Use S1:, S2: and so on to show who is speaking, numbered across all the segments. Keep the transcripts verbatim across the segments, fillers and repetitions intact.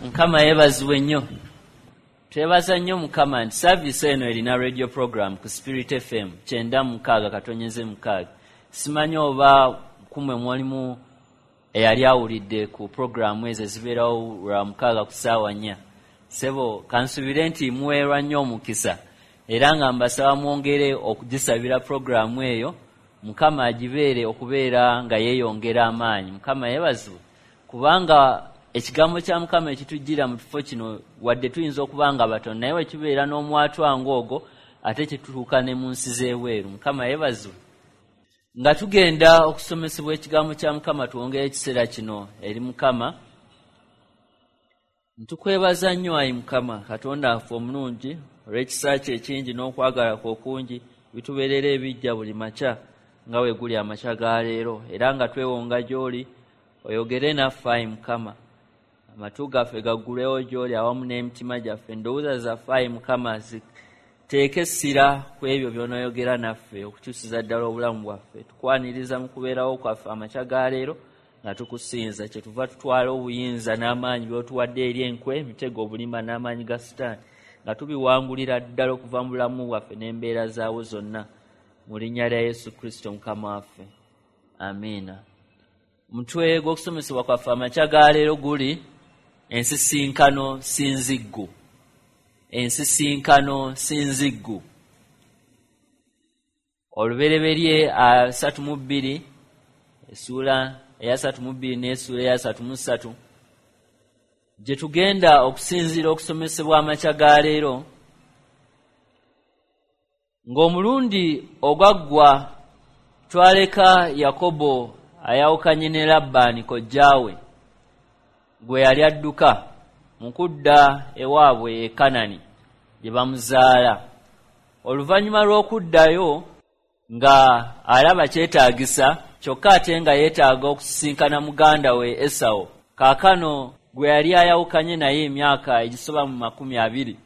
S1: Mukama yeebazibwe nnyo. Twebaza nnyo Mukama nti service eno erina radio program ku Spirit F M kyenda mukaaga katonyeze mukaaga. Simanyi oba kumwe mwalimu eyali awulidde ku programu ezo ezibeerawo lwa mukaaga ku ssaawa nnya. Ssebo kansubire nti muweerwa nnyo omukisa era nga mbasaba mwongere okugisabira programu eyo, Mukama agibeere okubeera nga yeeyongera amaanyi. Mukama yeebazibwe kubanga ekigambo kya Mukama ekitujjira mu kifo kino wadde tuyinza okuba nga batono, naye bwe kibeera n'omwatwa ng'ogwo ate kituuka ne mu nsi z'ebweru. Mukama yeebazibwe. Nga tugenda okusomesebwa ekigambo kya Mukama, twongere ekiseera kino eri Mukama. Ntukwebaza nnyo ayi Mukama Katonda waffe omulungi olw'ekisa kye ekingi n'okwagala kwo okungi bitubeerera ebijja buli makya nga bwe guli amakya ga leero, era nga twewonga gy'oli oyogere naffe ayi Mukama. Amatu gaffe gaggulewo gy'oli awamu n'emitima gyaffe, endowooza zaffe ayi Mukama ziteeke essira ku ebyo by'onoyogera naffe okukyusiza ddala obulamu bwaffe. Tukwaniriza mu kubeerawo kwaffe amakya ga leero nga tukusinza, kyetuva tutwala obuyinza n'amaanyi by'otuwadde eri enkwe, emitego, obulimba n'amaanyi ga Sitaani, nga tubiwangulira ddala okuva mu bulamu bwaffe n'embeera zaawo zonna, mu linnya lya Yesu Kristo Mukama waffe, amiina. Omutwe gw'okusomesebwa kwaffe amakya ga leero guli ensisinkano sinziggu. Ensisinkano sinziggu. Olubereberye asatu mu bbiri, essuula eyasatu mu bbiri n'essuula eyasatu mu ssatu, gye tugenda okusinziira okusomesebwa amakya ga leero. Ng'omulundi ogwaggwa twaleka Yakobo ayawukanye ne Labbaani kojjaawe gwe yali adduka mu kudda ewaabwe e Kanani gye bamuzaala. Oluvannyuma lw'okuddayo nga alaba kyetaagisa, kyokka ate nga yeetaaga okusisinkana muganda we Esawo, kaakano gwe yali ayawukanye naye emyaka egisoba mu makumi abiri.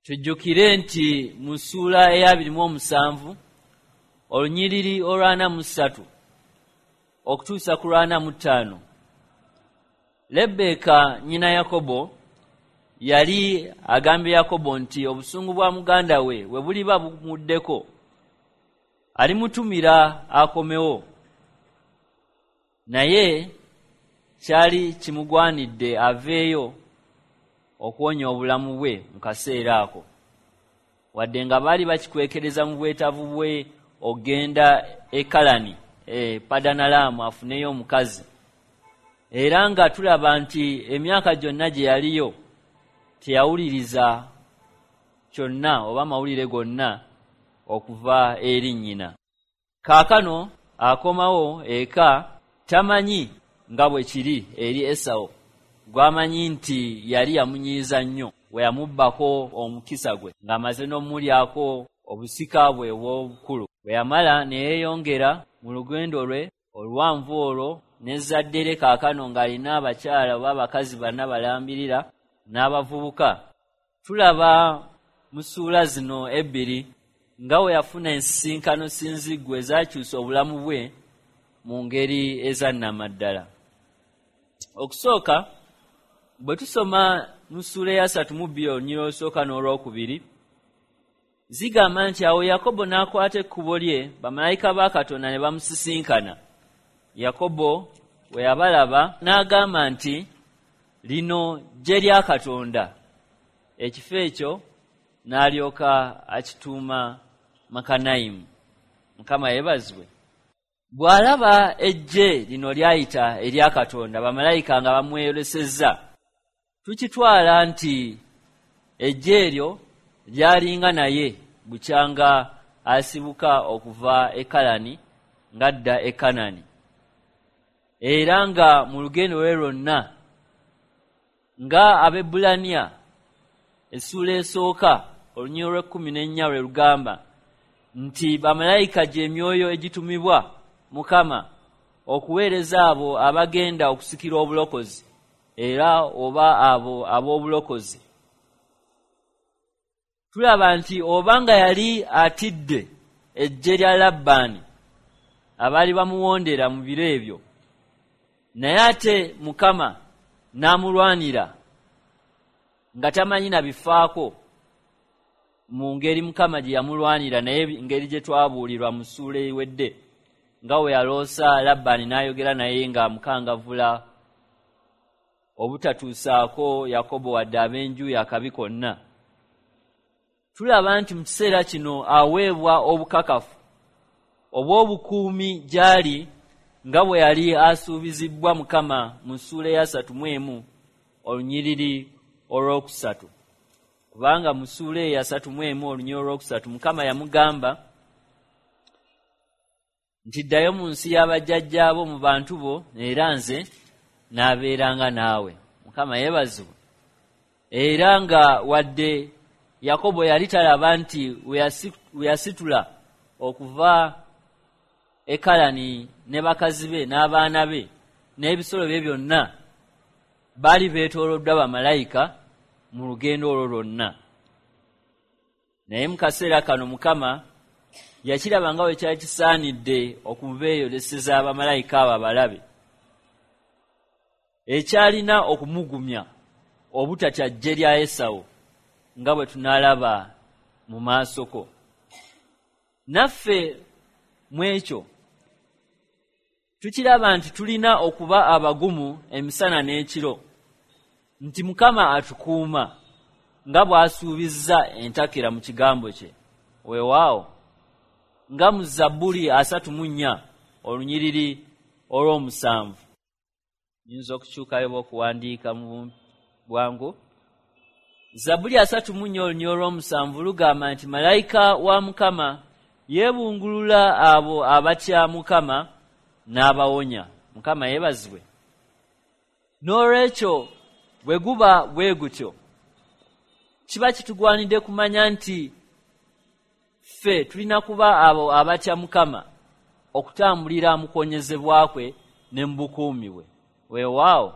S1: Tujjukire nti mu ssuula ey'abiri mu omusanvu olunyiriri olw'ana mu ssatu okutuusa ku lw'ana mu ttaano, Lebbeeka nnyina Yakobo yali agambye Yakobo nti obusungu bwa muganda we bwe buliba bumuddeko alimutumira akomewo, naye kyali kimugwanidde aveeyo okuwonya obulamu bwe mu kaseera ako, wadde nga baali bakikwekereza mu bwetaavu bwe ogenda e Kalani, e Padanalaamu afuneyo omukazi. Era nga tulaba nti emyaka gyonna gye yaliyo teyawuliriza kyonna oba amawulire gonna okuva eri nnyina. Kaakano akomawo eka tamanyi nga bwe kiri eri Esawo, gw'amanyi nti yali yamunyiiza nnyo bwe yamubbako omukisa gwe ng'amaze n'omulyako obusika bwe obw'obukulu. Bwe yamala ne yeeyongera mu lugendo lwe oluwanvu olwo n'ezzadde lye, kaakano ng'alina abakyala oba abakazi bana balambirira n'abavubuka. Tulaba mu ssuula zino ebbiri nga we yafuna ensisinkano sinziggu ezakyusa obulamu bwe mu ngeri ezannamaddala. Okusooka, bwe tusoma mu ssuula eyasatu mu bbiri olunyiriri olusooka n'olwokubiri, zigamba nti awo Yakobo n'akwata ekkubo lye, bamalayika ba Katonda ne bamusisinkana. Yakobo bwe yabalaba n'agamba nti lino ggye lya Katonda. Ekifo ekyo n'alyoka akituuma Makanayimu. Mukama yeebazibwe. Bw'alaba eggye lino lyayita erya Katonda, bamalayika nga bamweyolesezza, tukitwala nti eggye eryo lyalinga naye bukyanga asibuka okuva e Kalani ng'adda e Kanani, era nga mu lugendo lwe lwonna nga Abaebbulaniya essuula esooka olunyiriri lw'ekkumi n'ennya lwe lugamba nti bamalayika gy'emyoyo egitumibwa Mukama okuweereza abo abagenda okusikira obulokozi era oba abo ab'obulokozi. Tulaba nti obanga yali atidde eggye lya Labbaani abaali bamuwondera mu biro ebyo, naye ate Mukama n'amulwanira nga tamanyi na bifaako mu ngeri Mukama gye yamulwanira, naye ngeri gye twabuulirwa mu ssuula ewedde nga we yaloosa Labbaani n'ayogera naye nga amukangavvula obutatuusaako Yakobo wadde ab'enju ye akabi konna. Tulaba nti mu kiseera kino aweebwa obukakafu obw'obukuumi gy'ali nga bwe yali asuubizibbwa Mukama mu ssuula eyasatu mu emu olunyiriri olwokusatu. Kubanga mu ssuula eyasatu mu emu olunyiriri olwokusatu Mukama yamugamba nti ddayo mu nsi y'abajjajjaabo mu bantu bo, era nze n'abeeranga naawe. Mukama yeebazibwe. Era nga wadde Yakobo yali talaba nti we yasitula okuva e Kalani ne bakazi be n'abaana be n'ebisolo bye byonna baali beetooloddwa bamalayika mu lugendo olwo lwonna. Naye mu kaseera kano Mukama yakiraba nga bwe kyali kisaanidde okubeeyoleseza bamalayika abo abalabe, ekyalina okumugumya obutatya ggye lya Esawu nga bwe tunaalaba mu maasoko. Naffe mu ekyo tukiraba nti tulina okuba abagumu emisana n'ekiro, nti Mukama atukuuma nga bw'asuubizza entakera mu kigambo kye. Weewaawo nga mu Zabbuli asatu mu nnya olunyiriri olw'omusanvu. Nyinza okukyukayo okuwandiika mu bwangu. Zabbuli asatu mu nnya olunyiriri olw'omusanvu lugamba nti malayika wa Mukama yeebungulula abo abatya Mukama n'abawonya. Mukama yeebazibwe. N'olwekyo bwe guba bwe gutyo, kiba kitugwanidde kumanya nti ffe tulina kuba abo abatya Mukama okutambulira mu kuwonyezebwa kwe ne mu bukuumi bwe. Weewaawo,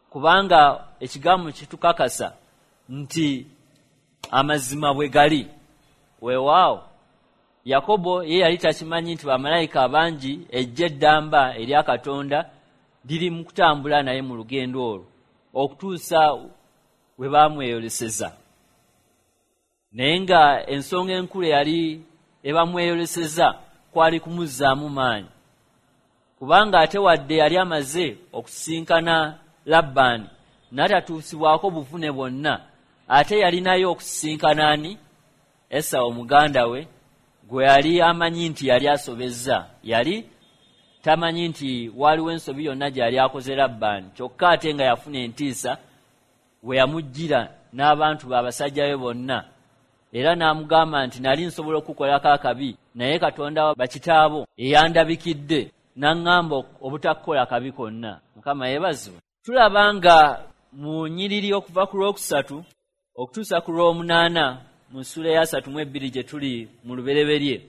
S1: kubanga ekigambo kitukakasa nti amazima bwe gali. Weewaawo, Yakobo ye yali takimanyi nti bamalayika abangi ejja eddamba erya Katonda liri mu kutambula naye mu lugendo olwo okutuusa we baamweyoleseza. Naye nga ensonga enkulu yali ebamweyoleseza kwali kumuzzaamu maanyi, kubanga ate wadde yali amaze okusisinkana Labbaani n'atatuusibwako buvune bwonna, ate yalinayo okusisinkana ani? Esawu muganda we gwe yali amanyi nti yali asobezza. Yali tamanyi nti waliwo ensobi yonna gy'yali akoze Labbaani, kyokka ate nga yafuna entiisa we yamuggira n'abantu be abasajja be bonna, era n'amugamba nti nali nsobola okukukolako akabi, naye Katonda bakitaabo eyandabikidde n'aŋŋamba obutakukola kabi konna. Mukama yeebazibwe. Tulaba nga mu nnyiriri okuva ku lwokusatu okutuusa ku lw'omunaana mu ssuula eyasatu mu ebbiri gye tuli mu lubereberye,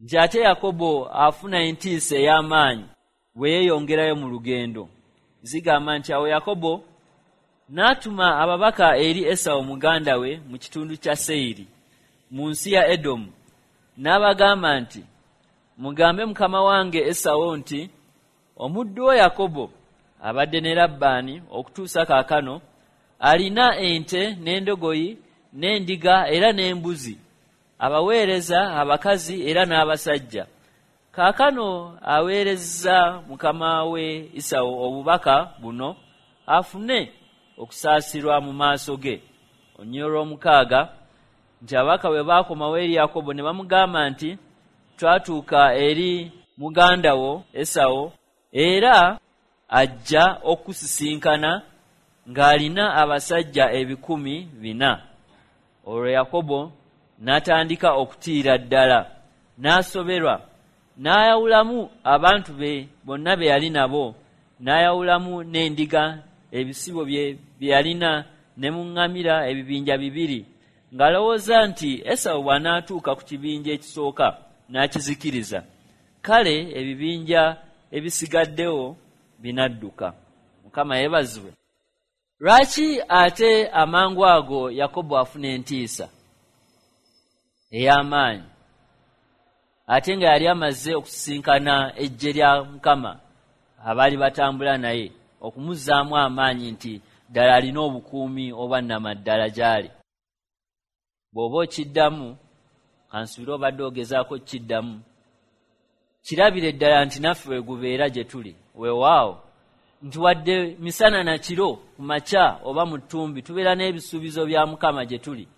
S1: nti ate Yakobo afuna entiisa ey'amaanyi bwe yeeyongerayo mu lugendo. Zigamba nti awo Yakobo n'atuma ababaka eri Esawu muganda we mu kitundu kya Seyiri mu nsi ya Edomu, n'abagamba nti mugambe mukama wange Esawu nti omuddu wo Yakobo abadde ne Labbaani okutuusa kaakano alina ente n'endogoyi n'endiga era n'embuzi, abaweereza abakazi era n'abasajja. Kaakano aweereza mukama we Esawu obubaka buno afune okusaasirwa mu maaso ge. Olunyiriri olw'omukaaga nti ababaka bwe baakomawo eri Yakobo ne bamugamba nti twatuuka eri muganda wo Esawu, era ajja okusisinkana ng'alina abasajja ebikumi bina. Olwo Yakobo n'atandika okutiira ddala, n'asoberwa, n'ayawulamu abantu be bonna be yali nabo, n'ayawulamu n'endiga ebisibo bye bye yalina ne mu ŋŋamira ebibinja bibiri, ng'alowooza nti Esawu bw'anaatuuka ku kibinja ekisooka n'akizikiriza, kale ebibinja ebisigaddewo binadduka. Mukama yeebazibwe. Lwaki ate amangu ago Yakobo afuna entiisa ey'amaanyi, ate nga yali amaze okusisinkana eggye lya Mukama abaali batambula naye okumuzzaamu amaanyi nti ddala alina obukuumi obwannamaddala gy'ali. Bw'oba okiddamu, kansuubire obadde ogezaako kiddamu, kirabire ddala nti naffe we gubeera gye tuli. Weewaawo nti wadde misana na kiro, ku makya oba mu ttumbi, tubeera n'ebisuubizo bya Mukama gye tuli,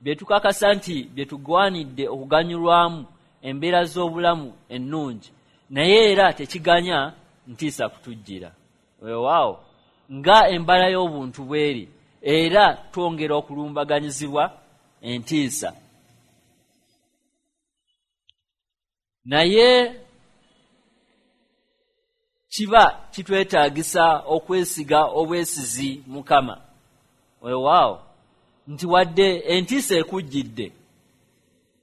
S1: bye tukakasa nti bye tugwanidde okuganyulwamu embeera z'obulamu ennungi, naye era tekiganya ntiisa kutujjira. Weewaawo nga embala y'obuntu bweri, era twongera okulumbaganyizibwa entiisa. Naye kiba kitwetaagisa okwesiga obwesizi Mukama. Weewaawo nti wadde entiisa ekujjidde,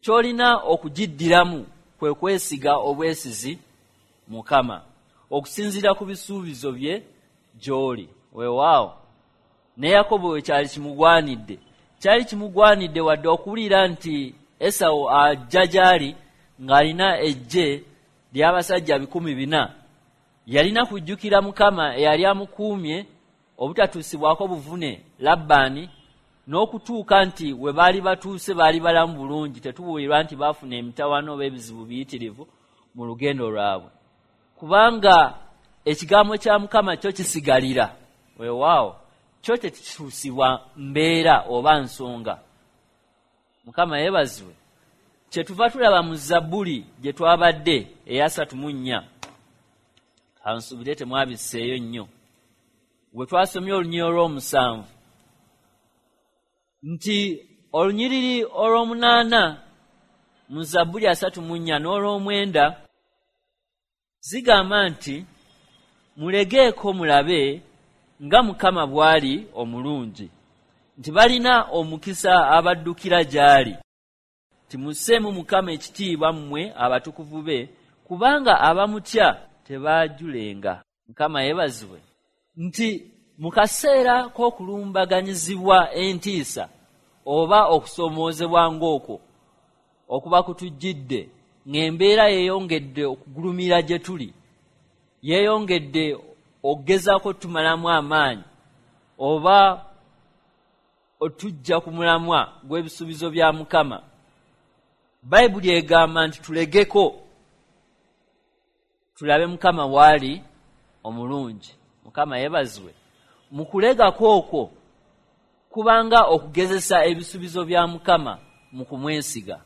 S1: ky'olina okugiddiramu kwe kwesiga obwesizi Mukama okusinziira ku bisuubizo bye gy'oli. Weewaawo ne Yakobo we kyali kimugwanidde, kyali kimugwanidde wadde okuwulira nti Esawu ajja gy'ali ng'alina eggye ly'abasajja bikumi bina, yalina kujjukira Mukama eyali amukuumye obutatuusibwako buvune Labbaani, n'okutuuka nti we baali batuuse baali balamu bulungi, tetubuulirwa nti baafuna emitawaana oba ebizibu biyitirivu mu lugendo lwabwe, kubanga ekigambo kya Mukama kyo kisigalira. Weewaawo kyo tekituusibwa mbeera oba nsonga. Mukama yeebazibwe. Kyetuva tulaba mu Zabbuli gye twabadde eyasatu mu nnya, kansuubire temwabisseeyo nnyo, we twasomye olunyiriri olw'omusanvu nti olunyiriri olw'omunaana mu Zabbuli asatu mu nnya n'olw'omwenda zigamba nti mulegeeko mulabe nga Mukama bw'ali omulungi, nti balina omukisa abaddukira gy'ali. Timusseemu Mukama ekitiibwa mmwe abatukuvu be, kubanga abamutya tebaajulenga. Mukama yeebazibwe. Nti mu kaseera k'okulumbaganyizibwa entiisa oba okusoomoozebwa ng'okwo okuba kutujjidde, ng'embeera yeeyongedde okugulumira gye tuli, yeeyongedde okugezaako tumalamu amaanyi oba otujja ku mulamwa gw'ebisuubizo bya Mukama, Bayibuli egamba nti tulegeko tulabe Mukama w'ali omulungi. Mukama yeebazibwe. Mu kulegako okwo kubanga okugezesa ebisuubizo bya Mukama mu kumwesiga.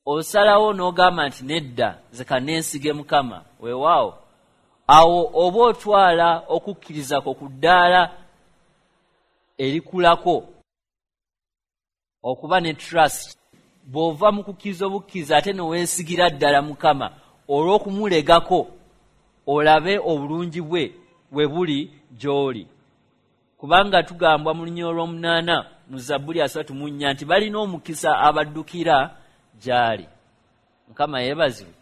S1: Osalawo n'ogamba nti nedda, nze ka neesige Mukama. Weewaawo awo oba otwala okukkiriza kwo ku ddaala erikulako okuba ne trust. Bw'ova mu kukkiriza obukkiriza ate ne weesigira ddala Mukama olw'okumulegako olabe obulungi bwe we buli gy'oli. Kubanga tugambwa mu lunyiriri olw'omunaana mu Zabbuli asatu mu nnya nti balina omukisa abaddukira gy'ali. Mukama yeebazibwe.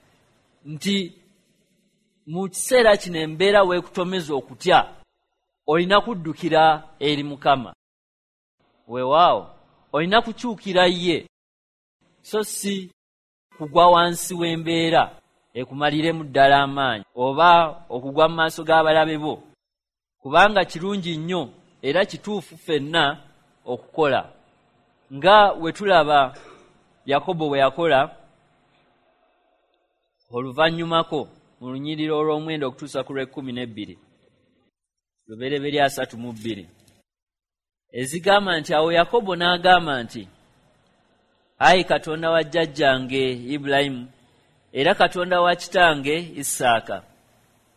S1: Nti mu kiseera kino embeera weekutomeza okutya, olina kuddukira eri Mukama. Weewaawo olina kukyukira ye, so si kugwa wansi w'embeera ekumaliremu ddala amaanyi oba okugwa mu maaso g'abalabe bo, kubanga kirungi nnyo era kituufu ffenna okukola nga we tulaba Yakobo bwe yakola oluvannyumako mu lunyiriri olw'omwenda okutuusa ku lw'ekkumi n'ebbiri, Lubereberye asatu mu bbiri, ezigamba nti awo Yakobo n'agamba nti ayi Katonda wa jjajjange Ibulayimu era Katonda wa kitange Isaaka,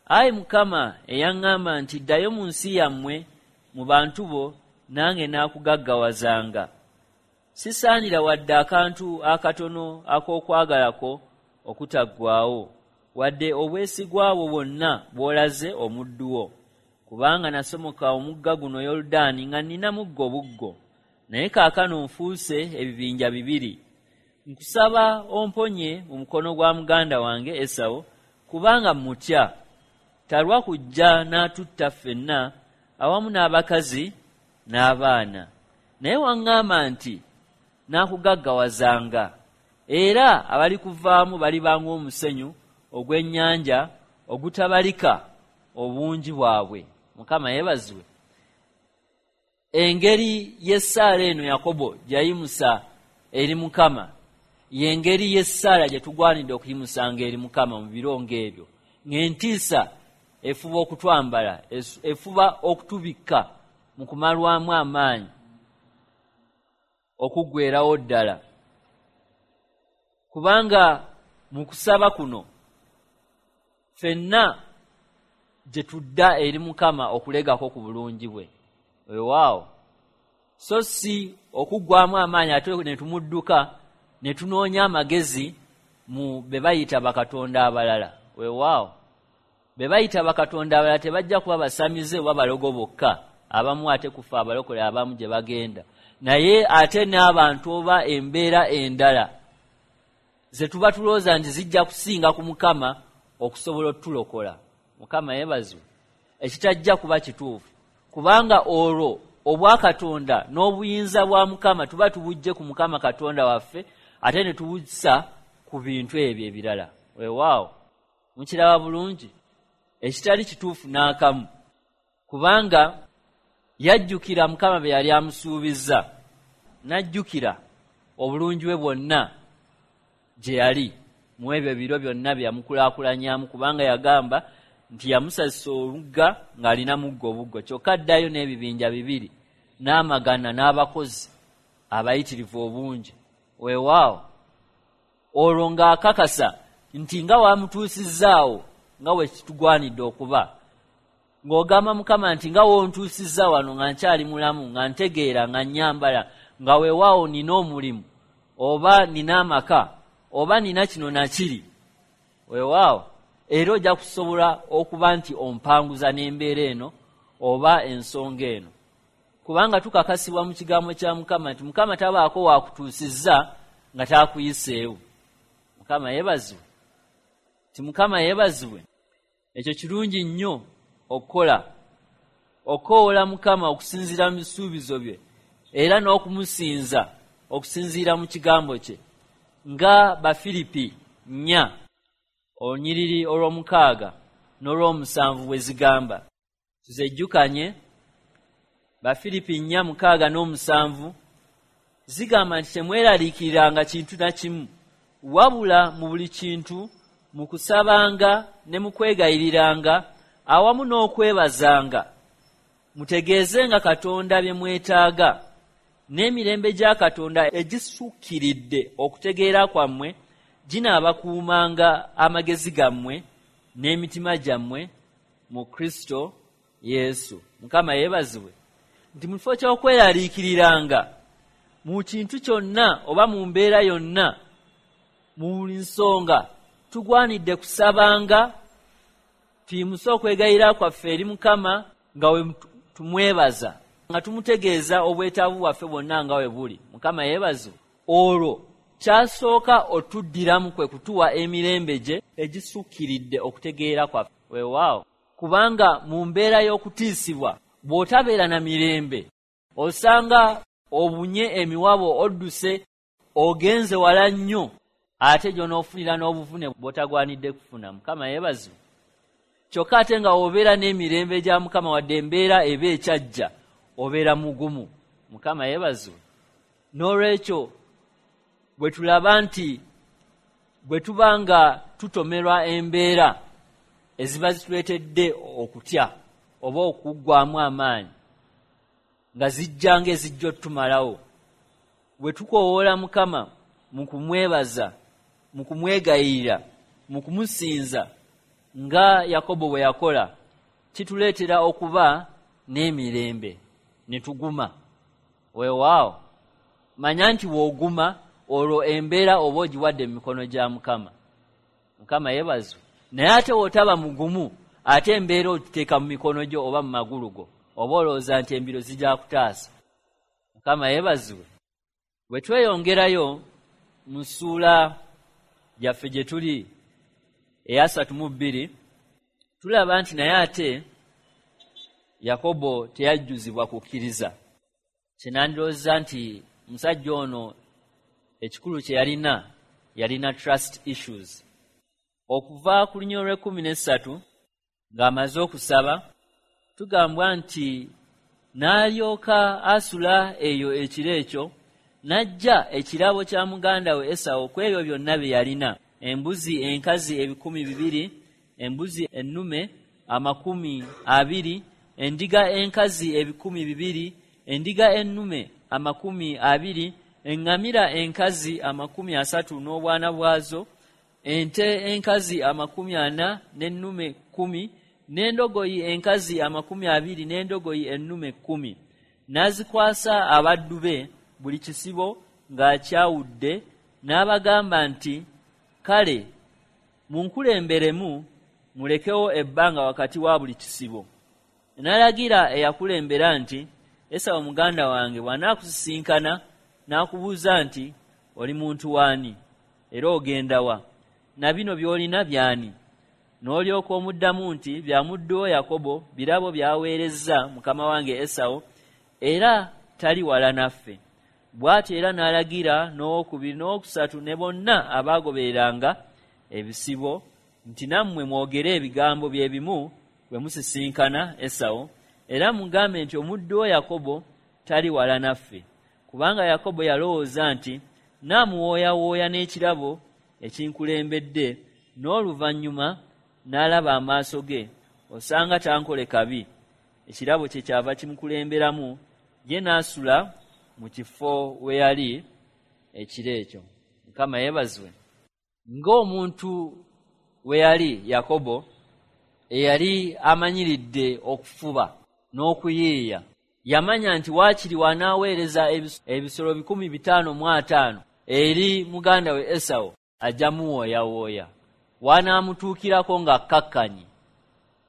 S1: ayi Mukama eyaŋŋamba nti ddayo mu nsi yammwe mu bantu bo, nange naakugaggawazanga. Sisaanira wadde akantu akatono ak'okwagalako okutaggwaawo, wadde obwesigwa bwo bwonna bw'olaze omuddu wo, kubanga nasomoka omugga guno Yoludaani nga nnina muggo buggo, naye kaakano nfuuse ebibinja bibiri. Nkusaba omponye mu mukono gwa muganda wange Esawu, kubanga mmutya, talwa kujja n'atutta ffenna awamu n'abakazi n'abaana. Naye waŋŋamba nti naakugaggawazanga, era abalikuvaamu baliba ng'omusenyu ogw'ennyanja ogutabalika obungi bwabwe. Mukama yeebazibwe. Engeri y'essaala eno Yakobo gyayimusa eri Mukama y'engeri y'essaala gye tugwanidde okuyimusanga eri Mukama mu biro ng'ebyo, ng'entiisa efuba okutwambala, efuba okutubikka mu kumalwamu amaanyi okuggwerawo ddala. Kubanga mu kusaba kuno ffenna gye tudda eri Mukama okulegako ku bulungi bwe. Weewaawo, so si okuggwamu amaanyi ate ne tumudduka ne tunoonya amagezi mu be bayita bakatonda abalala. Weewaawo, be bayita bakatonda abalala tebajja kuba basamize oba balogo bokka, abamu ate kufa abalokole abamu gye bagenda, naye ate n'abantu oba embeera endala ze tuba tulowooza nti zijja kusinga ku Mukama okusobola otulokola. Mukama yeebazibwe. Ekitajja kuba kituufu, kubanga olwo obwakatonda n'obuyinza bwa Mukama tuba tubujje ku Mukama Katonda waffe ate ne tubussa ku bintu ebyo ebirala. Weewaawo, mukiraba bulungi, ekitali kituufu n'akamu, kubanga yajjukira Mukama bye yali amusuubizza, n'ajjukira obulungi bwe bwonna gye yali mu ebyo ebiro byonna bye yamukulaakulanyamu, kubanga yagamba nti yamusasisa olugga ng'alina muggo obuggo, kyokka addayo n'ebibinja bibiri n'amagana n'abakozi abayitirivu obungi. Weewaawo, olwo ng'akakasa nti nga wamutuusizzaawo nga bwe kitugwanidde okuba, ng'ogamba Mukama nti nga wontuusizza wano nga nkyali mulamu, nga ntegeera, nga nnyambala, nga weewaawo nina omulimu oba nina amaka oba nina kino nakiri, weewaawo era ojja kusobola okuba nti ompanguza n'embeera eno oba ensonga eno, kubanga tukakasibwa mu kigambo kya Mukama nti Mukama tabaako wakutuusizza nga takuyiseewo. Mukama yeebazibwe, ti Mukama yeebazibwe. Ekyo kirungi nnyo okukola, okukowoola Mukama okusinziira mu bisuubizo bye era n'okumusinza okusinziira mu kigambo kye, nga Bafiripi nnya olunyiriri olw'omukaaga n'olw'omusanvu bwe zigamba. Tuzejjukanye. Bafiripi nnya mukaaga n'omusanvu zigamba nti temweraliikiriranga kintu na kimu, wabula mu buli kintu mu kusabanga ne mu kwegayiriranga awamu n'okwebazanga mutegeezenga Katonda bye mwetaaga, n'emirembe gya Katonda egisukkiridde okutegeera kwammwe ginaabakuumanga amagezi gammwe n'emitima gyammwe mu Kristo Yesu. Mukama yeebazibwe. Nti mu kifo ky'okweraliikiriranga mu kintu kyonna oba mu mbeera yonna, mu buli nsonga, tugwanidde kusabanga tuyimuse okwegayirira kwaffe eri Mukama nga we tumwebaza, nga tumutegeeza obwetaavu bwaffe bwonna nga we buli. Mukama yeebazibwe. Olwo kyasooka otuddiramu kwe kutuwa emirembe gye egisukkiridde okutegeera kwaffe. Weewaawo, kubanga mu mbeera y'okutiisibwa bw'otabeera na mirembe osanga obunye emiwabo, odduse ogenze wala nnyo, ate gy'onoofunira n'obuvune bw'otagwanidde kufuna. Mukama yeebazibwe. Kyokka ate nga obeera n'emirembe gya Mukama, wadde embeera eba ekyajja, obeera mugumu. Mukama yeebazibwe. N'olwekyo bwe tulaba nti bwe tuba nga tutomerwa embeera eziba zituleetedde okutya oba okuggwamu amaanyi nga zijja ng'ezijja otutumalawo, bwe tukoowoola Mukama mu kumwebaza, mu kumwegayirira, mu kumusinza nga Yakobo bwe yakola, kituleetera okuba n'emirembe ne tuguma. Weewaawo, manya nti w'oguma olwo embeera oba ogiwadde mu mikono gya Mukama. Mukama yeebazibwe. Naye ate w'otaba mugumu, ate embeera ogiteeka mu mikono gyo oba mu magulu go, oba olowooza nti embiro zijja kutaasa. Mukama yeebazibwe. Bwe tweyongerayo mu ssuula yaffe gye tuli eyasatu mu bbiri, tulaba nti naye ate Yakobo teyajjuzibwa kukkiriza. Kye nandowooza nti musajja ono ekikulu kye yalina, yalina trust issues. Okuva ku lunyiriri olw'ekkumi n'essatu ng'amaze okusaba, tugambwa nti N'alyoka asula eyo ekiro ekyo, n'aggya ekirabo kya muganda we Esawu ku ebyo byonna bye yalina: embuzi enkazi ebikumi bibiri, embuzi ennume amakumi abiri, endiga enkazi ebikumi bibiri, endiga ennume amakumi abiri, eŋŋamira enkazi amakumi asatu n'obwana bwazo, ente enkazi amakumi ana n'ennume kkumi, n'endogoyi enkazi amakumi abiri n'endogoyi ennume kkumi. N'azikwasa abaddu be buli kisibo ng'akyawudde, n'abagamba nti, "Kale munkulemberemu, mulekewo ebbanga wakati wa buli kisibo." N'alagira eyakulembera nti, "Esawu muganda wange bw'anaakusisinkana n'akubuuza nti, 'Oli muntu w'ani? Era ogenda wa? Na bino by'olina by'ani?' N'olyoka omuddamu nti, 'Bya muddu wo Yakobo, birabo by'aweerezza mukama wange Esawu, era tali wala naffe." Bw'atyo era n'alagira n'owokubiri n'owokusatu ne bonna abaagobereranga ebisibo nti, "Nammwe mwogere ebigambo bye bimu bwe musisinkana Esawu, era mugambe nti, 'Omuddu wo Yakobo tali wala naffe.'" Kubanga Yakobo yalowooza nti, "Naamuwooyawooya n'ekirabo ekinkulembedde, n'oluvannyuma n'alaba amaaso ge, osanga tankole kabi." Ekirabo kye kyava kimukulemberamu, ye n'asula mu kifo we yali ekiro ekyo. Mukama yeebazibwe. Ng'omuntu we yali Yakobo, eyali amanyiridde okufuba n'okuyiiya, yamanya nti waakiri w'anaaweereza ebisolo bikumi bitaano mu ataano eri muganda we Esawu, ajja muwooyawooya, w'anaamutuukirako ng'akkakkanye,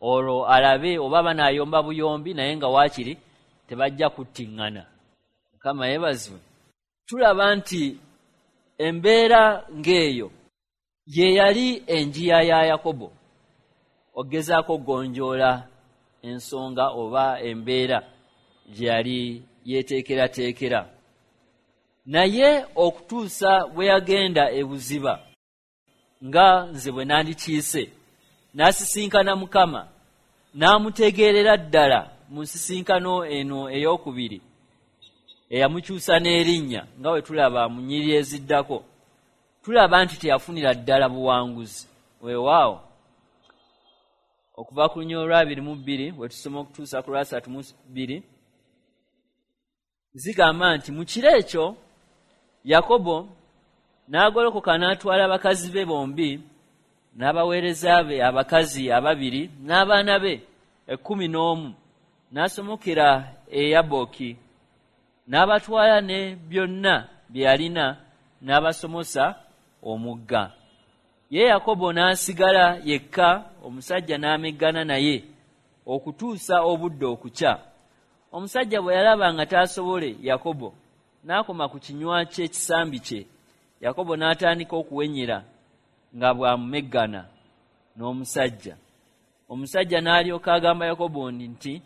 S1: olwo alabe oba banaayomba buyombi, naye nga waakiri tebajja kuttiŋŋana. Mukama yeebazibwe. Tulaba nti embeera ng'eyo ye yali enjiya ya Yakobo okugezaako okugonjoola ensonga oba embeera gye yali yeeteekerateekera. Naye okutuusa bwe yagenda ebuziba, nga nze bwe nandikiise, n'asisinkana Mukama, n'amutegeerera ddala mu nsisinkano eno ey'okubiri eyamukyusa n'erinnya, nga bwe tulaba mu nnyiriri eziddako, tulaba nti teyafunira ddala buwanguzi. Weewaawo, okuva ku lunyiriri olw'abiri mu bbiri we tusoma okutuusa ku lwasatu mu bbiri, zigamba nti, mu kiro ekyo Yakobo n'agolokoka n'atwala bakazi be bombi n'abaweereza be abakazi ababiri n'abaana be ekkumi n'omu, n'asomokera e Yaboki, n'abatwala ne byonna bye yalina, n'abasomosa omugga. Ye Yakobo n'asigala yekka, omusajja n'ameggana naye okutuusa obudde okukya. Omusajja bwe yalaba nga taasobole Yakobo, n'akoma ku kinywa ky'ekisambi kye. Yakobo n'atandika okuwenyera nga bw'amumeggana n'omusajja. Omusajja n'alyoka agamba Yakobo nti,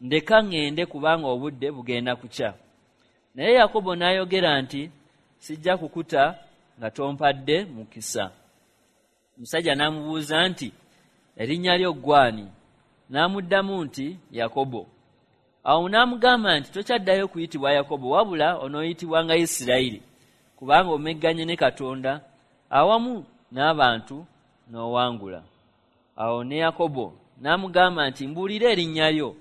S1: "Ndeka ŋŋende, kubanga obudde bugenda kukya." Naye Yakobo n'ayogera nti, "Sijja kukuta nga tompadde mukisa." Omusajja n'amubuuza nti, "Erinnya lyo ggw'ani?" N'amuddamu nti, "Yakobo." Awo n'amugamba nti, "Tokyaddayo kuyitibwa Yakobo, wabula onooyitibwanga Isirayiri, kubanga omegganye ne Katonda awamu n'abantu n'owangula." Awo ne Yakobo n'amugamba nti, "Mbuulira erinnya lyo."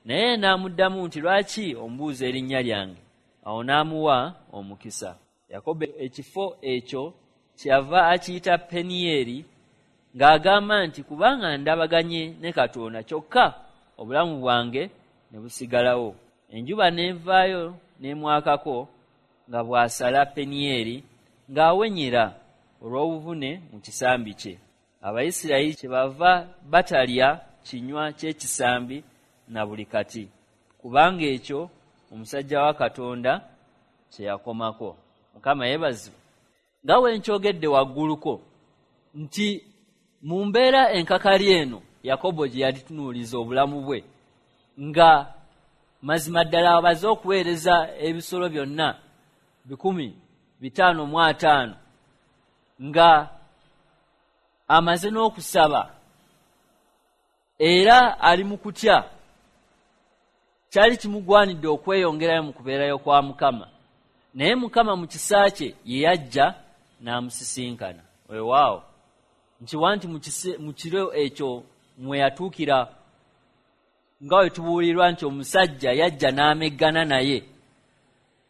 S1: Naye n'amuddamu nti, "Lwaki ombuuza erinnya lyange?" Awo n'amuwa omukisa. Yakobo ekifo ekyo kyeyava akiyita Penieri, ng'agamba nti, "Kubanga ndabaganye ne Katonda, kyokka obulamu bwange ne busigalawo." Enjuba n'evaayo n'emwakako nga bw'asala Penieri, ng'awenyera olw'obuvune mu kisambi kye. Abayisirayiri kyebava batalya kinywa ky'ekisambi na buli kati, kubanga ekyo omusajja wa Katonda kye yakomako. Mukama yeebazibwe. Nga we nkyogedde wagguluko nti mu mbeera enkakali eno Yakobo gye yalitunuuliza obulamu bwe, nga mazima ddala abaze okuweereza ebisolo byonna bikumi bitaano mu ataano, nga amaze n'okusaba, era ali mu kutya, Kyali kimugwanidde okweyongerayo mu kubeerayo kwa Mukama, naye Mukama mu kisa kye ye yajja n'amusisinkana. Weewaawo nkiwa nti mu kiro ekyo mwe yatuukira, nga we tubuulirwa nti omusajja yajja n'ameggana naye,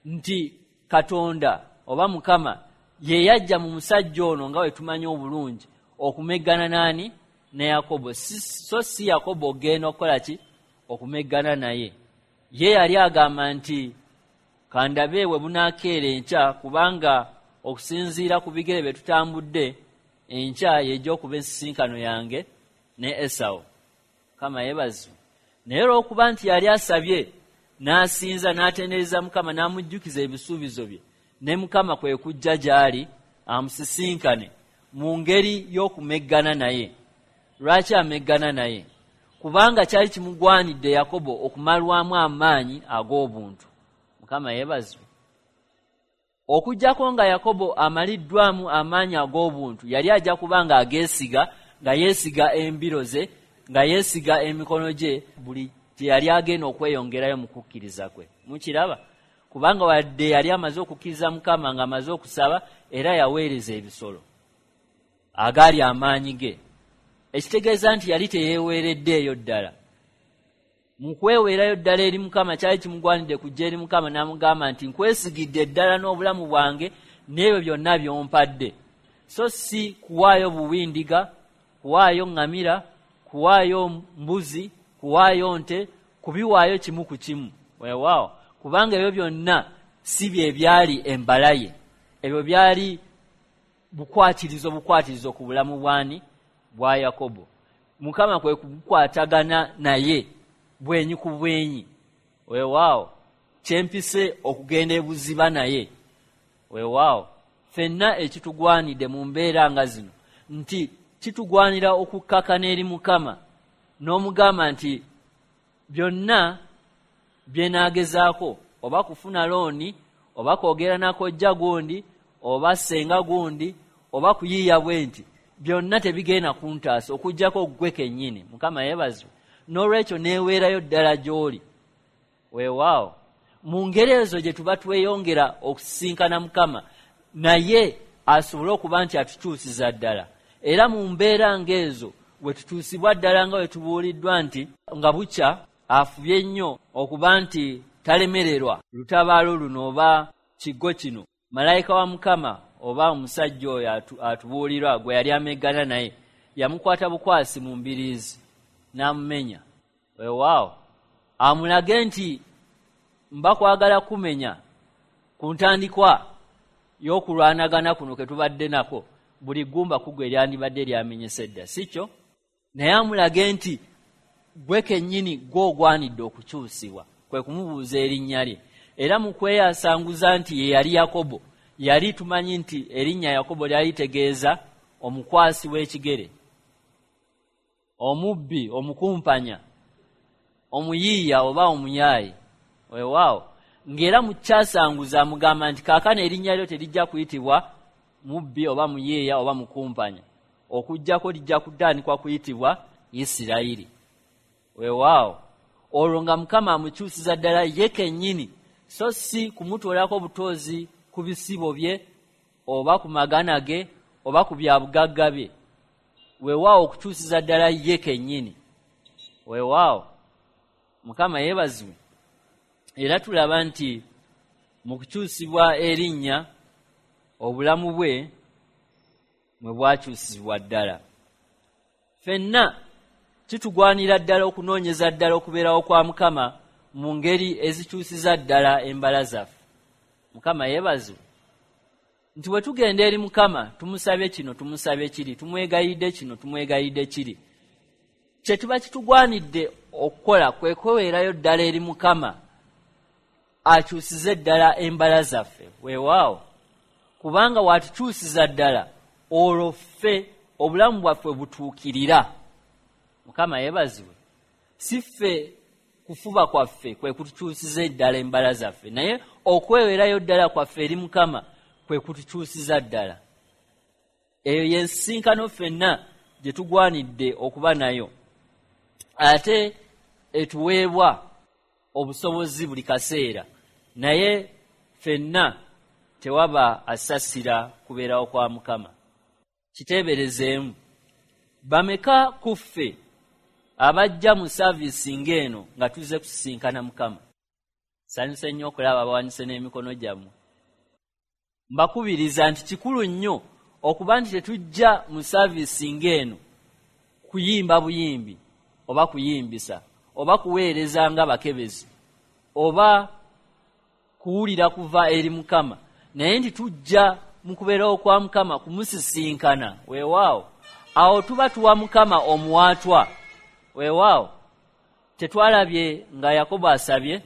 S1: nti Katonda oba Mukama ye yajja mu musajja ono nga we tumanyi obulungi okumeggana n'ani? Ne Yakobo. So si Yakobo ogenda okukola ki? Okumeggana naye. Ye yali agamba nti kandabe we bunaakeera enkya, kubanga okusinziira ku bigere bye tutambudde enkya yejja okuba ensisinkano yange ne Esawu. Mukama yeebazibwe. Naye olw'okuba nti yali asabye n'asinza n'atendereza Mukama n'amujjukiza ebisuubizo bye, ne Mukama kwe kujja gy'ali amusisinkane mu ngeri y'okumeggana naye. Lwaki ameggana naye? Kubanga kyali kimugwanidde Yakobo okumalwamu amaanyi ag'obuntu. Mukama yeebazibwe. Okuggyako nga Yakobo amaliddwamu amaanyi ag'obuntu, yali ajja kuba nga ageesiga, nga yeesiga embiro ze, nga yeesiga emikono gye, buli gye yali agenda okweyongerayo mu kukkiriza kwe. Mukiraba? Kubanga wadde yali amaze okukkiriza Mukama ng'amaze okusaba, era yaweereza ebisolo agaali amaanyi ge, ekitegeeza nti yali teyeeweereddeeyo ddala. Mu kweweerayo ddala eri Mukama, kyali kimugwanidde kujja eri Mukama n'amugamba nti nkwesigidde ddala n'obulamu bwange n'ebyo byonna by'ompadde, so si kuwaayo buwindiga, kuwaayo ŋŋamira, kuwaayo mbuzi, kuwaayo nte, kubiwaayo kimu ku kimu. Weewaawo, kubanga ebyo byonna si bye byali embala ye, ebyo byali bukwatirizo bukwatirizo ku bulamu bwani? Bwa Yakobo. Mukama kwe kukwatagana naye bwenyi ku bwenyi. Weewaawo, kyempise okugenda ebuziba naye. Weewaawo, ffenna ekitugwanidde mu mbeera nga zino nti kitugwanira okukkakana eri Mukama n'omugamba nti byonna bye naagezaako, oba kufuna looni, oba kwogera na kojja gundi, oba ssenga gundi, oba kuyiiya bwe nti, byonna tebigenda kuntaasa okuggyako ggwe kennyini. Mukama yeebazibwe. N'olwekyo neeweerayo ddala gy'oli. Weewaawo, mu ngeri ezo gye tuba tweyongera okusisinkana Mukama, naye asobole okuba nti atukyusiza ddala. Era mu mbeera ng'ezo we tutuusibwa ddala nga we tubuuliddwa nti nga bukya afubye nnyo okuba nti talemererwa lutabaalo luno oba kiggo kino, malayika wa Mukama oba omusajja oyo atubuulirwa gwe yali ameggana naye yamukwata bukwasi mu mbiriizi n'amumenya. Weewaawo, amulage nti mba kwagala kumenya ku ntandikwa y'okulwanagana kuno ke tubadde nako, buli ggumba ku gwe lyandibadde lyamenyese dda, si kyo? Naye amulage nti gwe kennyini gw'ogwanidde okukyusibwa, kwe kumubuuza erinnya lye. Era mu kweyasanguza nti ye yali Yakobo, yali tumanyi nti erinnya Yakobo lyali litegeeza omukwasi w'ekigere, omubbi, omukumpanya, omuyiiya oba omuyaayi. Weewaawo, ng'era mu kyasanguza amugamba nti kaakano erinnya lyo terijja kuyitibwa mubbi oba muyiiya oba mukumpanya, okuggyako lijja kutandikwa kuyitibwa Isirayiri. Weewaawo, olwo nga Mukama amukyusiza ddala ye kennyini, so si kumutoolako butoozi ku bisibo bye oba ku magana ge oba ku bya bugagga bye. Weewaawo, okukyusiza ddala ye kennyini. Weewaawo, Mukama yeebazibwe. Era tulaba nti mu kukyusibwa erinnya obulamu bwe mwe bwakyusibwa ddala. Ffenna kitugwanira ddala okunoonyeza ddala okubeerawo kwa Mukama mu ngeri ezikyusiza ddala embala zaffe. Mukama yeebazibwe. Nti bwe tugenda eri Mukama tumusabye kino, tumusabye kiri, tumwegayidde kino, tumwegayidde kiri, kye tuba kitugwanidde okukola kwe kweweerayo ddala eri Mukama akyusize ddala embala zaffe. Weewaawo, kubanga watukyusiza ddala olwo ffe obulamu bwaffe butuukirira. Mukama yeebazibwe. Si ffe kufuba kwaffe kwe kutukyusiza ddala embala zaffe, naye okweweerayo ddala kwaffe eri Mukama kwe kutukyusiza ddala. Eyo y'ensisinkano ffenna gye tugwanidde okuba nayo, ate etuweebwa obusobozi buli kaseera, naye ffenna tewaba asasira kubeerawo kwa Mukama. Kiteeberezeemu, bameka ku ffe abajja mu saavisi ng'eno nga tuzze kusisinkana Mukama? Nsanyuse nnyo okulaba abawanise n'emikono gyammwe. Mbakubiriza nti kikulu nnyo okuba nti tetujja mu saavisi ng'eno kuyimba buyimbi oba kuyimbisa oba kuweereza nga bakebezi oba kuwulira kuva eri Mukama, naye nti tujja mu kubeerawo kwa Mukama kumusisinkana. Weewaawo, awo tuba tuwa Mukama omuwaatwa. Weewaawo, tetwalabye nga Yakobo asabye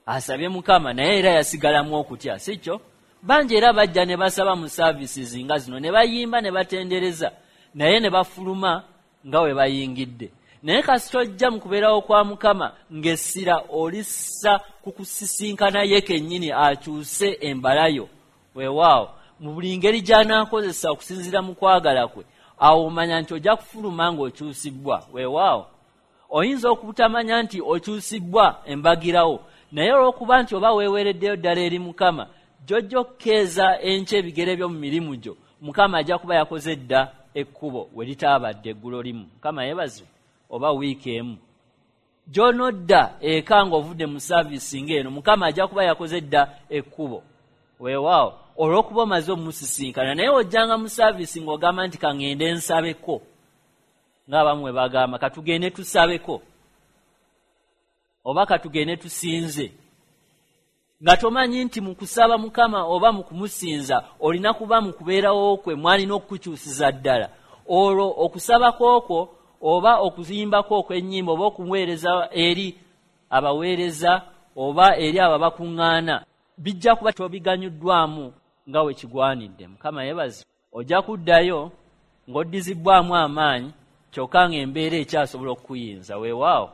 S1: asabye Mukama, naye era yasigalamu okutya, si kyo? Bangi era bajja ne basaba mu services nga zino, ne bayimba ne batendereza, naye ne bafuluma nga we bayingidde. Naye kasita ojja mu kubeerawo kwa Mukama ng'essira olissa ku kusisinkana ye kennyini akyuse embalayo. Weewaawo, mu buli ngeri gy'anaakozesa okusinziira mu kwagala kwe, awo omanya nti ojja kufuluma ng'okyusibwa. Weewaawo, oyinza okubutamanya nti okyusibwa embagirawo, naye olw'okuba nti oba weeweereddeyo ddala eri Mukama, gy'ojja okkeeza enkya ebigere byo mu mirimu gyo, Mukama ajja kuba yakoze dda ekkubo we litaabadde eggulo limu. Mukama yeebazibwe, oba wiiki emu. Gy'onodda eka ng'ovudde mu saavisi ng'eno, Mukama ajja kuba yakoze dda ekkubo. Weewaawo, olw'okuba omaze omusisinkana. Naye ojjanga mu saavisi ng'ogamba nti kaŋŋende nsabeko, ng'abamu bwe bagamba katugende tusabeko oba katugende tusinze, nga tomanyi nti mu kusaba Mukama oba mu kumusinza olina kuba mu kubeerawo kwe mwalina okukukyusiza ddala. Olwo okusaba kwokwo oba okuzimbako okw'ennyimba oba okumuweereza eri abaweereza oba eri abo abakuŋŋaana bijja kuba tobiganyuddwamu nga we kigwanidde. Mukama yeebazibwe. Ojja kuddayo ng'oddizibbwamu amaanyi, kyokka ng'embeera ekyasobola okukuyinza. Weewaawo,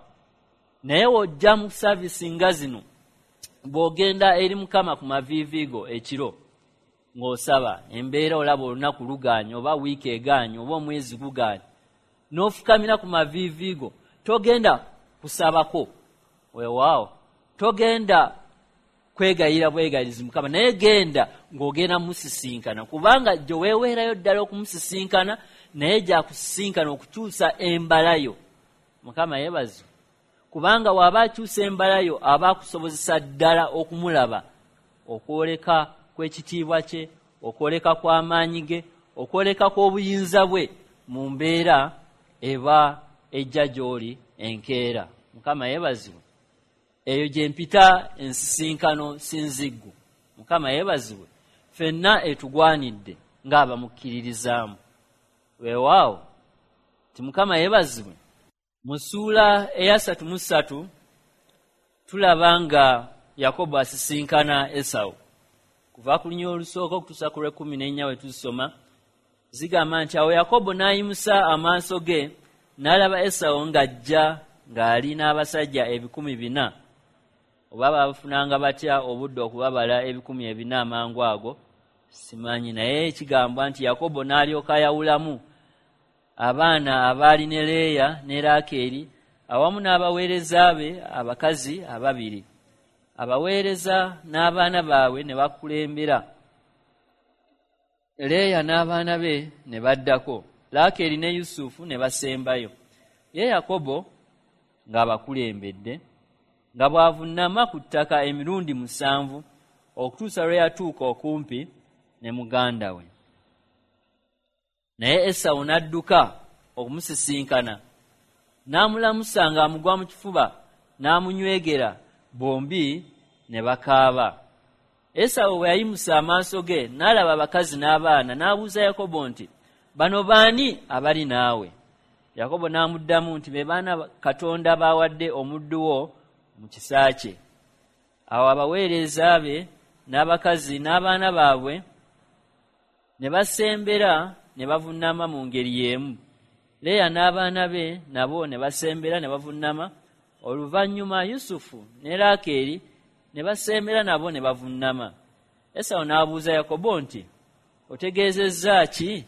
S1: naye w'ojja mu saavisi nga zino, bw'ogenda eri Mukama ku maviivi go ekiro ng'osaba, embeera olaba olunaku lugaanye oba wiiki egaanye oba omwezi gugaanye, n'ofukamira ku maviivi go, togenda kusabako. Weewaawo, togenda kwegayira bwegayirizi Mukama, naye genda ng'ogenda musisinkana, kubanga gye weeweerayo ddala okumusisinkana, naye gy'akusisinkana okukyusa embalayo. Mukama yeebazibwe, kubanga w'aba akyusa embalayo aba akusobozesa ddala okumulaba, okwoleka kw'ekitiibwa kye, okwoleka kw'amaanyi ge, okwoleka kw'obuyinza bwe mu mbeera eba ejja gy'oli enkeera. Mukama yeebazibwe. Eyo gye mpita ensisinkano sinziggu. Mukama yeebazibwe. Ffenna etugwanidde ng'abamukkiririzaamu. Weewaawo, ti Mukama yeebazibwe. Mu ssuula eyasatu mu ssatu tulaba nga Yakobo asisinkana Esawu. Kuva ku lunyiriri olusooka okutuusa ku lw'ekkumi n'ennya we tuzisoma, zigamba nti awo Yakobo n'ayimusa amaaso ge n'alaba Esawu ng'ajja ng'ali n'abasajja ebikumi bina. Oba baafunanga batya obudde okubabala ebikumi ebina amangu ago simanyi, naye kigambwa nti Yakobo n'alyoka ayawulamu abaana abaali ne Leeya ne Laakeeri awamu n'abaweereza be abakazi ababiri. Abaweereza n'abaana baabwe ne bakulembera, Leeya n'abaana be ne baddako, Laakeeri ne Yusufu ne basembayo. Ye Yakobo ng'abakulembedde, nga bw'avunnama ku ttaka emirundi musanvu okutuusa lwe yatuuka okumpi ne muganda we. Naye Esawu n'adduka okumusisinkana, n'amulamusa ng'amugwa mu kifuba, n'amunywegera, bombi ne bakaaba. Esawu bwe yayimusa amaaso ge n'alaba abakazi n'abaana, n'abuuza Yakobo nti, bano baani abali naawe? Yakobo n'amuddamu nti, be baana Katonda b'awadde omuddu wo mu kisa kye. Awo abaweereza be n'abakazi n'abaana baabwe ne basembera ne bavunnama mu ngeri y'emu. Leeya n'abaana be nabo ne basembera ne bavunnama. Oluvannyuma Yusufu ne Laakeeri ne basembera nabo ne bavunnama. Esawu n'abuuza Yakobo nti, otegeezezza ki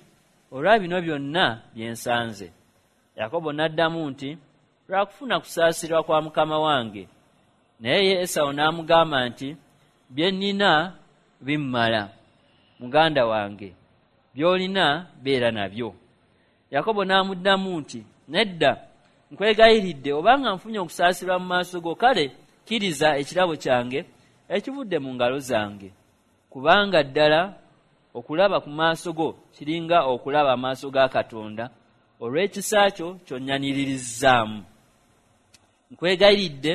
S1: olwa bino byonna bye nsanze? Yakobo n'addamu nti, lwa kufuna kusaasirwa kwa mukama wange, Naye ye Esawu n'amugamba nti, bye nnina bimmala, muganda wange, by'olina beera nabyo. Yakobo n'amuddamu nti, nedda, nkwegayiridde, obanga nfunye okusaasirwa mu maaso go, kale kkiriza ekirabo kyange ekivudde mu ngalo zange, kubanga ddala okulaba ku maaso go kiringa okulaba amaaso ga Katonda olw'ekisa kyo ky'onnyaniririzaamu. Nkwegayiridde,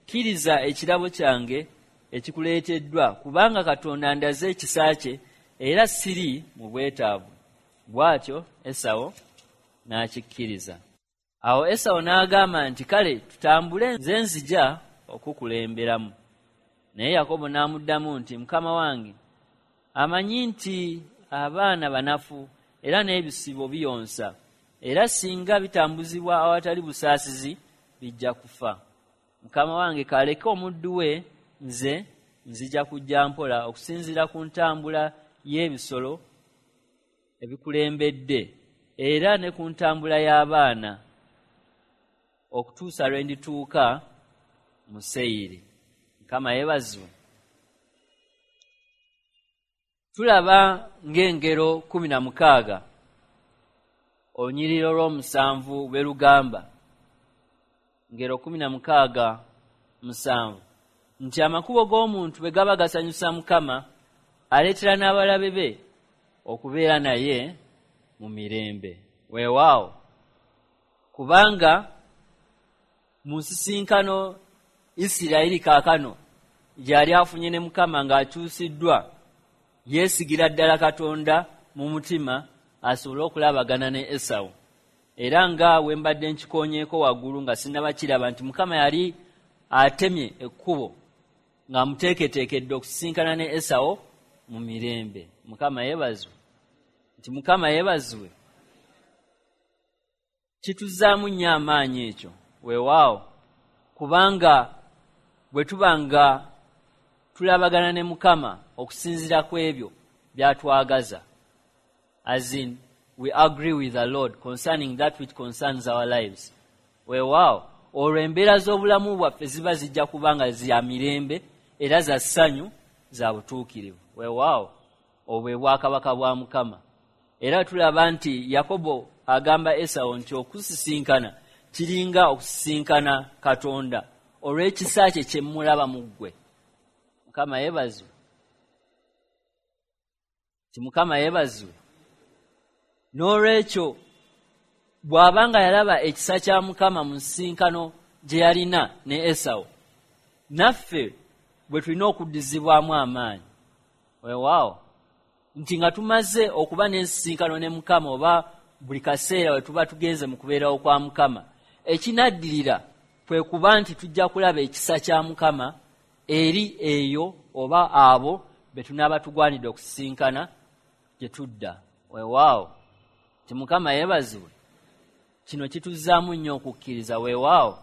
S1: kkiriza ekirabo kyange ekikuleeteddwa, kubanga Katonda andaze ekisa kye era siri mu bwetaavu. Bw'atyo Esawu n'akikkiriza. Awo Esawu n'agamba nti, kale tutambule, nze nzija okukulemberamu. Naye Yakobo n'amuddamu nti, mukama wange amanyi nti abaana banafu era n'ebisibo biyonsa, era singa bitambuzibwa awatali busaasizi bijja kufa. Mukama wange kaleke omuddu we, nze nzija kujja mpola okusinziira ku ntambula y'ebisolo ebikulembedde era ne ku ntambula y'abaana, okutuusa lwe ndituuka mu Seyiri. Mukama yeebazibwe. Tulaba ng'engero kkumi na mukaaga olunyiriri olw'omusanvu bwe lugamba, ngero kkumi na mukaaga musanvu, nti amakubo g'omuntu bwe gaba gasanyusa Mukama, aleetera n'abalabe be okubeera naye mu mirembe. Weewaawo, kubanga mu nsisinkano Isirayiri kaakano gy'ali afunye ne Mukama ng'akyusiddwa, yeesigira ddala Katonda mu mutima asobole okulabagana ne Esawu. Era nga we mbadde nkikoonyeeko waggulu nga sinnabakiraba nti Mukama yali atemye ekkubo ng'amuteeketeekedde okusisinkana ne Esawu mu mirembe. Mukama yeebazibwe. Nti Mukama yeebazibwe. Kituzzaamu nnyo amaanyi ekyo. Weewaawo, kubanga bwe tuba nga tulabagana ne Mukama okusinziira ku ebyo by'atwagaza, as in we agree with the Lord concerning that which concerns our lives. Weewaawo, olwo embeera z'obulamu bwaffe ziba zijja kuba nga za mirembe era za ssanyu, za butuukirivu. Weewaawo, obwo bwe bwakabaka bwa Mukama. Era tulaba nti Yakobo agamba Esawu nti okusisinkana kiringa okusisinkana Katonda olw'ekisa kye kye mulaba mu ggwe. Mukama yeebazibwe. Ti Mukama yeebazibwe. N'olwekyo bw'aba nga yalaba ekisa kya Mukama mu nsisinkano gye yalina ne Esawu, naffe bwe tulina okuddizibwamu amaanyi. Weewaawo, nti nga tumaze okuba n'ensisinkano ne Mukama, oba buli kaseera we tuba tugenze mu kubeerawo kwa Mukama, ekinaddirira kwe kuba nti tujja kulaba ekisa kya Mukama eri eyo oba abo be tunaaba tugwanidde okusisinkana gye tudda. Weewaawo, nti Mukama yeebazibwe. Kino kituzzaamu nnyo okukkiriza. Weewaawo,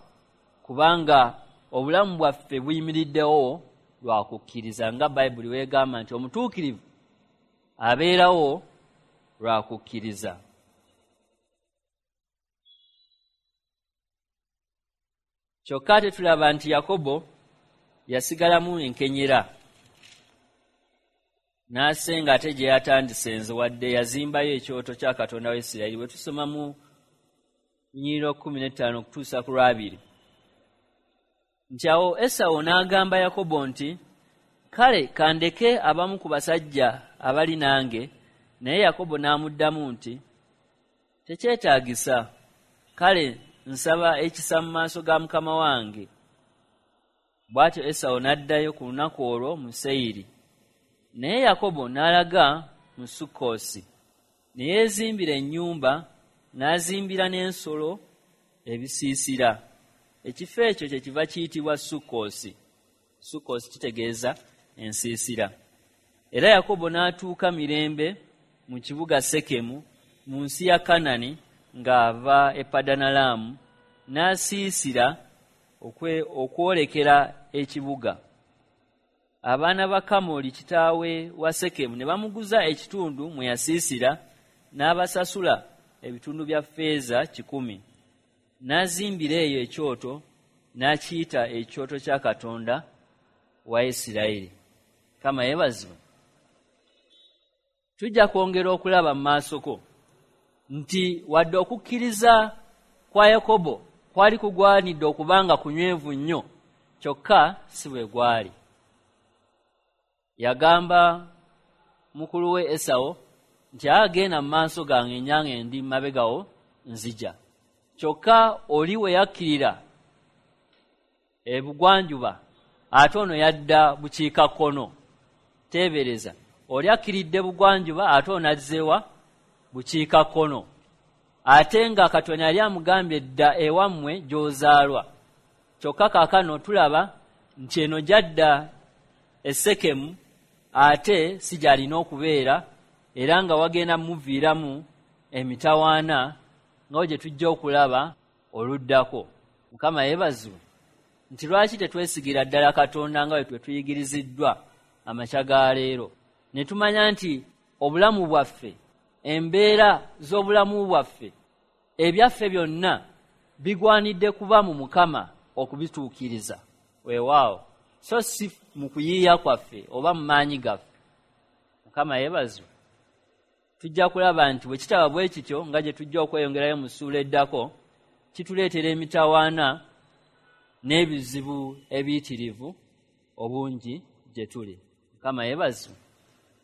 S1: kubanga obulamu bwaffe buyimiriddewo lwa kukkiriza, nga Bayibuli weegamba nti omutuukirivu abeerawo lwa kukkiriza. Kyokka ate tulaba nti Yakobo yasigalamu enkenyera n'asenga ate gye yatandise nze, wadde yazimbayo ekyoto kya Katonda wa Isirayiri. Bwe tusoma mu lunyiriri kkumi n'ettaano okutuusa ku lwabiri, nti awo Esawu n'agamba Yakobo nti, kale kandeke abamu ku basajja abali nange. Naye Yakobo n'amuddamu nti, tekyetaagisa, kale nsaba ekisa mu maaso ga mukama wange. Bw'atyo Esawu n'addayo ku lunaku olwo mu Seyiri. Naye Yakobo n'alaga mu Sukkosi, ne yeezimbira ennyumba, n'azimbira n'ensolo ebisiisira. Ekifo ekyo kye kiva kiyitibwa Sukkosi. Sukkosi kitegeeza ensiisira. Era Yakobo n'atuuka mirembe mu kibuga Sekemu mu nsi ya Kanani ng'ava e Padanalaamu, n'asiisira okwolekera ekibuga. Abaana ba Kamoli kitaawe wa Sekemu ne bamuguza ekitundu mwe yasiisira, n'abasasula ebitundu bya ffeeza kikumi. N'azimbira eyo ekyoto n'akiyita ekyoto kya Katonda wa Isirayiri. Mukama yeebazibwe. Tujja kwongera okulaba mu maasoko nti wadde okukkiriza kwa Yakobo kwali kugwanidde okubanga kunywevu nnyo, kyokka si bwe gwali. Yagamba mukulu we Esawo nti agenda mu maaso gange nyange ndi mabegawo nzija. Kyokka oli we yakkirira ebugwanjuba ate ono yadda bukiikakkono. Teebereza, oli akkiridde bugwanjuba ate ono azzeewa bukiikakkono, ate nga Katonda yali amugambye dda ewammwe gy'ozaalwa. Kyokka kaakano tulaba nti eno gy'adda e Sekemu ate si gy'alina okubeera, era nga wagenda muviiramu emitawaana nga gye tujja okulaba oluddako. Mukama yeebazibwe nti lwaki tetwesigira ddala Katonda nga bwe tuyigiriziddwa amakya ga leero, ne tumanya nti obulamu bwaffe, embeera z'obulamu bwaffe, ebyaffe byonna bigwanidde kuba mu Mukama okubituukiriza. Weewaawo, so si mu kuyiiya kwaffe oba mu maanyi gaffe. Mukama yeebazibwe. Tujja kulaba nti bwe kitaba bwe kityo nga gye tujja okweyongerayo mu ssuula eddako, kituleetera emitawaana n'ebizibu ebiyitirivu obungi gye tuli. Mukama yeebazibwe.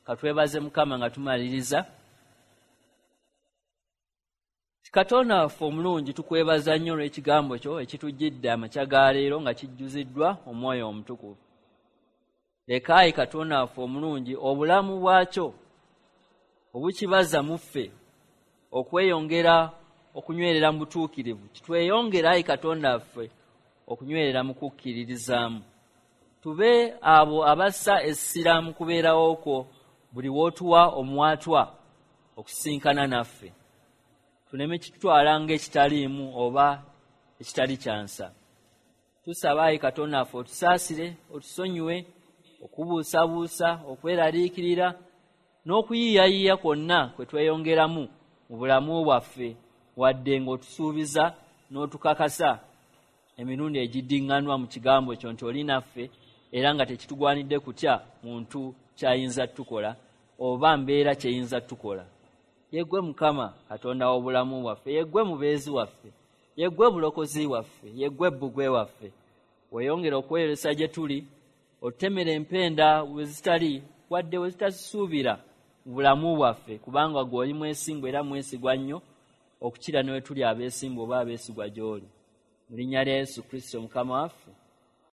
S1: Katwebaze Mukama nga tumaliriza. Katonda waffe omulungi, tukwebaza nnyo olw'ekigambo kyo ekitujjidde amakya ga leero nga kijjuziddwa Omwoyo Omutukuvu. Leka ayi Katonda waffe omulungi obulamu bwakyo obukibaza mu ffe okweyongera okunywerera mu butuukirivu, kitweyongera ayi Katonda waffe okunywerera mu kukkiririzaamu. Tube abo abassa essira mu kubeerawo kwo buli w'otuwa omwatwa okusinkana naffe, tuleme kitutwala ng'ekitaliimu oba ekitali kyansa. Tusaba ayi Katonda waffe otusaasire, otusonyiwe okubuusabuusa, okweraliikirira n'okuyiiyayiiya kwonna kwe tweyongeramu mu bulamu bwaffe, wadde ng'otusuubiza n'otukakasa emirundi egiddiŋŋanwa mu kigambo kyo nti oli naffe, era nga tekitugwanidde kutya muntu kyayinza tukola oba mbeera kyeyinza tukola. Yeggwe Mukama Katonda w'obulamu bwaffe, yeggwe mubeezi waffe, yeggwe bulokozi waffe, yeggwe bbugwe waffe. Weeyongere okweyolesa gye tuli, otutemere empenda we zitali wadde we zitasuubira mu bulamu bwaffe, kubanga ggwe oli mwesimbu era mwesigwa nnyo okukira ne we tuli abeesimbu oba abeesigwa gy'oli. Mu linnya lya Yesu Kristo Mukama waffe.